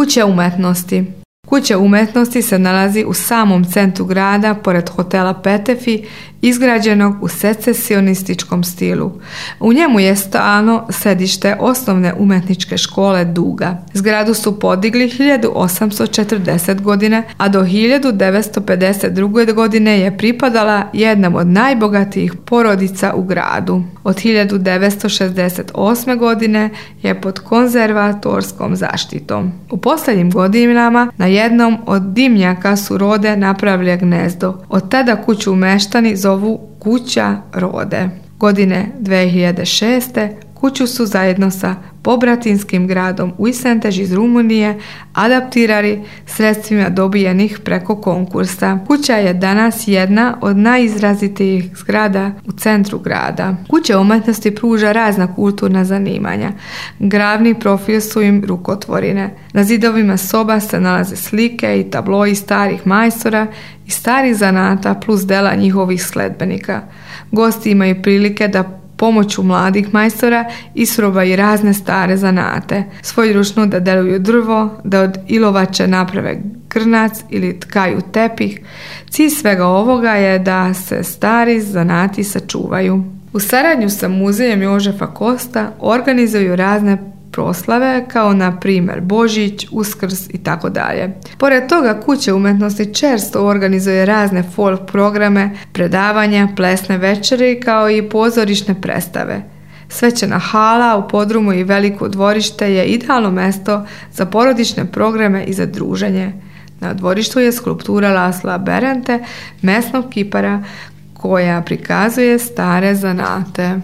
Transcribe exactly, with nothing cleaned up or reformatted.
Kuća umetnosti. Kuća umetnosti se nalazi u samom centru grada, pored hotela Petefi, izgrađenog u secesionističkom stilu. U njemu je stalno sedište osnovne umetničke škole Duga. Zgradu su podigli hiljadu osamsto četrdeset. godine, a do hiljadu devetsto pedeset druge. godine je pripadala jednom od najbogatijih porodica u gradu. Od hiljadu devetsto šezdeset osme. godine je pod konzervatorskom zaštitom. U posljednjim godinama na jednom od dimnjaka su Rode napravili gnezdo. Od tada kuću meštani zovu Kuća Rode. Godine dve hiljade šeste. kuću su zajedno sa pobratinskim gradom Uisentež iz Rumunije adaptirali sredstvima dobijenih preko konkursa. Kuća je danas jedna od najizrazitijih zgrada u centru grada. Kuća umetnosti pruža razna kulturna zanimanja. Glavni profil su im rukotvorine. Na zidovima soba se nalaze slike i tabloji starih majstora i starih zanata plus dela njihovih sledbenika. Gosti imaju prilike da pomoću mladih majstora isprobaju razne stare zanate, svojeručno da deluju drvo, da od ilovače naprave grnac ili tkaju tepih. Cilj svega ovoga je da se stari zanati sačuvaju. U saradnju sa muzejem Jožefa Kosta organizuju razne proslave kao na primjer Božić, Uskrs i tako dalje. Pored toga kuća umetnosti često organizuje razne folk programe, predavanja, plesne večeri kao i pozorišne predstave. Svečana hala u podrumu i veliko dvorište je idealno mesto za porodične programe i za druženje. Na dvorištu je skulptura Lasla Berente, mesnog kipara koja prikazuje stare zanate.